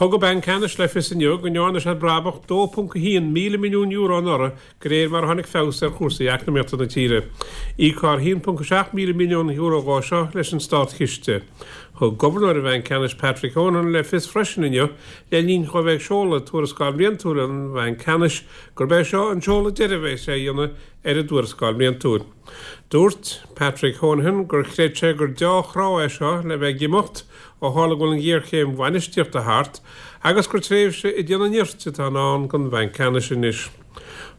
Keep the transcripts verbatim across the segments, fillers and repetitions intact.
Thug an Banc Ceannais le fios inniu go ndearna sé brabach dó ponc a haon míle milliún euro anuraidh de réir mar a tháinig feabhas ar chúrsaí eacnamaíochta na tíre. Íocfar a haon ponc a seacht míle milliún euro dhó seo leis an státchiste. Thug Gobharnóir an Bhainc Ceannais Patrick Honohan le fios freisin inniu le linn dhó bheith ag seoladh tuarascáil bhliantúil an Bhainc Ceannais gurb é seo an seoladh deiridh a bheas sé a dhéanamh ar an dtuarascáil bhliantúil. Dúirt Patrick Honohan gur chreid sé gur deá-thráth é seo le bheith ag imeacht ó tharla go bhfuil an ghéarchéim bhainistíochta thart agus gur tréimhse ag déanamh nirt atá i ndán don Bhanc Ceannais anois.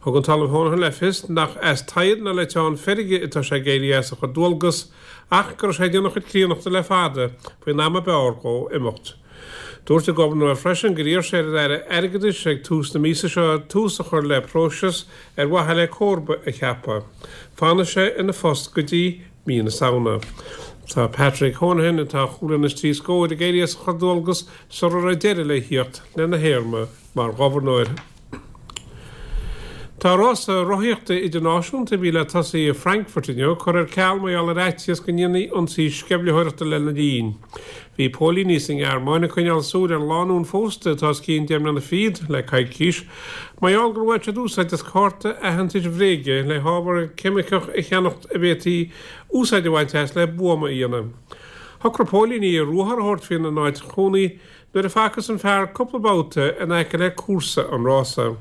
Thug an tOllamh Honohan le fios nach as teitheadh ná le teann feirge atá sé ag éirí as a chuid dualgas ach go raibh sé ag déanamh a chuid críonnachta le fada faoin am ab fhearr dhó imeacht. Dúirt an Gobharnóir freisin gur iarr sé ar an Aire Airgeadais ag tús na míosa seo tús a chur le próiseas ar mhaithe le comharba a cheapadh. Fanfaidh sé ina phost go dtí mí na Samhna. Tá Patrick Honohan, atá chúig bliana is trí scór, ag éirí as a chuid dualgas sula raibh deireadh le thíocht lena théarma mar ghobharnóir. Tá rása rothaíochta idirnáisiúnta a bhí le tosaí i Frankfurt inniu curtha ar ceal mar gheall ar fhaitíos go ndéanfaí ionsaí sceimhlitheoireachta lena linn. Bhí póilíní sa nGearmáin ag coinneáil súil ar lánúin phósta atá os cionn deich mbliana fichead le coicís mar gheall gur bhain siad úsáid as cárta aitheantais bhréige le hábhar ceimiceach a cheannacht a bhféadfaí úsáid a bhaint as le buama a dhéanamh. Shocraigh póilíní ruathar a thabhairt faoina n-áit chónaí nuair a facthas an fear cúpla babhta in aice le cúrsa an rása.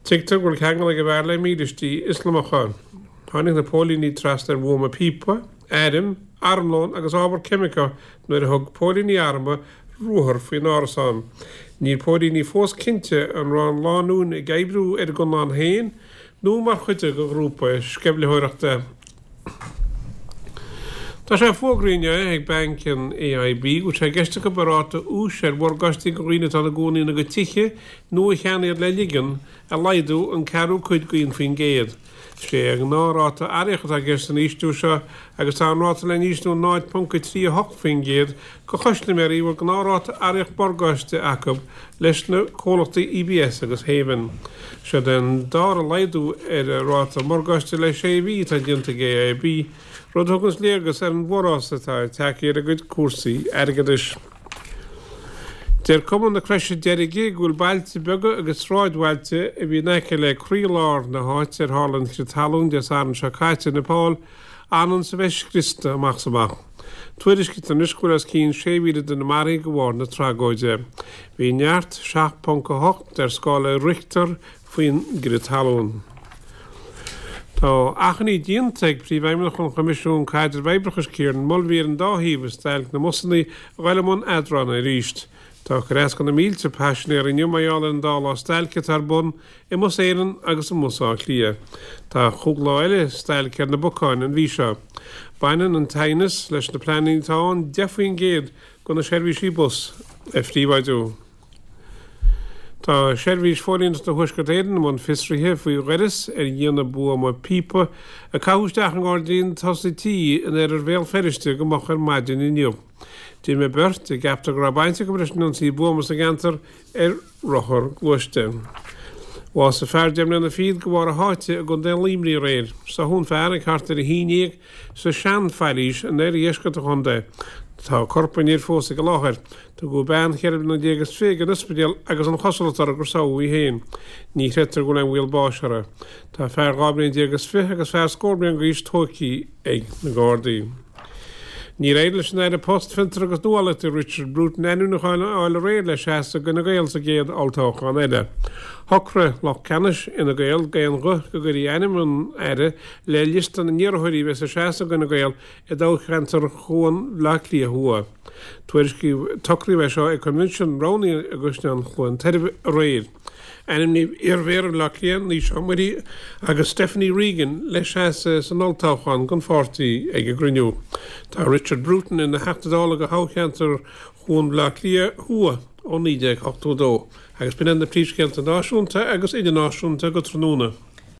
Tuigtear go bhfuil ceangal ag an bhfear le mílístí Ioslamacha. Tháinig na póilíní trasna ar bhuama píopa, airm, armlón agus ábhar ceimiceach nuair a thug póilíní armtha ruathar faoin árasán. Níl póilíní fós cinnte an raibh an lánúin ag oibriú ar a gconlán féin nó mar chuid de ghrúpa sceimhlitheoireachta. Tá sé fógraithe inniu ag banc an AIB go bhfuil sé i gceist acu a ráta úis ar mhorgáistí do dhaoine atá ina gcónaí ina gcuid tithe nó a cheannaigh iad le ligean a laghdú an ceathrú cuid d'aon faoin gcéad. Is é an gnáthráta aireach atá i gceist san ísliú seo agus tá an ráta le n-ísliú náid ponc a trí a hocht faoin gcéad do chustaiméirí a bhfuil gnáthráta aireach morgáiste acu leis na comhlachtaí EBS agus Haven. Seo an dara laghdú ar an ráta morgáiste le sé mhí atá déanta ag AIB, rud a thugann léargas ar an bhforás atá tagtha ar a gcuid cúrsaí airgeadais. Deir Cumann na Croise Deirge go bhfuil bailte beaga agus sráidbhailte a bhí in aice le croílár na háite ar tharla an crith talún Dé Sathairn seo caite i Nepal anonn is a bheith scriosta amach is amach. Tuairiscítear anois go bhfuil os cionn sé mhíle duine maraithe de bharr na tragóide. Bhí neart seacht ponc a hocht ar scála Richter faoin gcrith talún. Tá achainí déanta ag Príomhfheidhmeannach an Choimisiúin Caidrimh Oibreachais Kieran Mulvey ar an dá thaobh i stailc na mbusanna a dhul i mbun eadrána arís. Tá cur as do na mílte paisinéir inniu mar gheall ar an dá lá stailce atá ar bun i mBus Éireann agus i mBus Átha Cliath. Tá cúig lá eile stailce ar na bacáin an mhí seo. Baineann an t-aighneas leis na pleananna atá ann deich faoin gcéad de na seirbhísí bus a phríobháidiú. Tá Seirbhís Phóilíneachta Thuaisceart Éireann i mbun fiosraithe faoi dhoras ar dhéanamh buama píopa a caitheadh isteach i ngairdín tosaigh tí in oirthear Bhéal Feirste go moch ar maidin inniu. D'imigh beirt, a gceaptar go raibh baint acu leis an ionsaí buama sa gceantar, ar rothar gluaiste. Bhásaigh fear deich mbliana fichead de bharr a sháite i gContae Luimnigh aréir. Sáthadh an fear ag thart ar a haon déag sa Sean-Phailís in oirdheisceart an chontae. Tá corp an fhir fós ag an láthair. Tugadh bean cheithre bliana déag is fiche ag an ospidéal agus an chosúlacht uirthi gur sádh í féin. Ní chreidtear go bhfuil aon bhaol báis uirthi. Tá fear dhá bhliain déag is fiche agus fear scór bliain d'aois tógtha ag na Gardaí. Níor éirigh leis an Aire Post, Fiontar agus Nuálaíochta Richard Bruton ainmniúchán a fháil aréir le seasamh d'Fhine Gael sa gcéad olltoghchán eile. Shocraigh lucht ceannais Fhine Gael d'aon ghuth go gcuirfí ainm an Aire le liosta na n-iarrthóirí a bheas ag seasamh d'Fhine Gael i dtoghcheantar Chuan Bhaile Átha Cliath Thuaidh. Tuairiscíodh, socraíodh é seo ag coinbhinsiún roghnaithe i gCaisleán Chluain Tairbh aréir. Ainmníodh iar-Mhéara Bhaile Átha Cliath, Naoise Ó Muirí agus Stephanie Regan le seasamh san olltoghchán don pháirtí ag an gcruinniú. Tá Richard Bruton ina Theachta Dála do thoghcheantar Chuan Bhaile Átha Cliath Thuaidh ó naoi déag ochtó a dó agus b'in iad na príomhscéalta náisiúnta agus idirnáisiúnta go tráthnóna.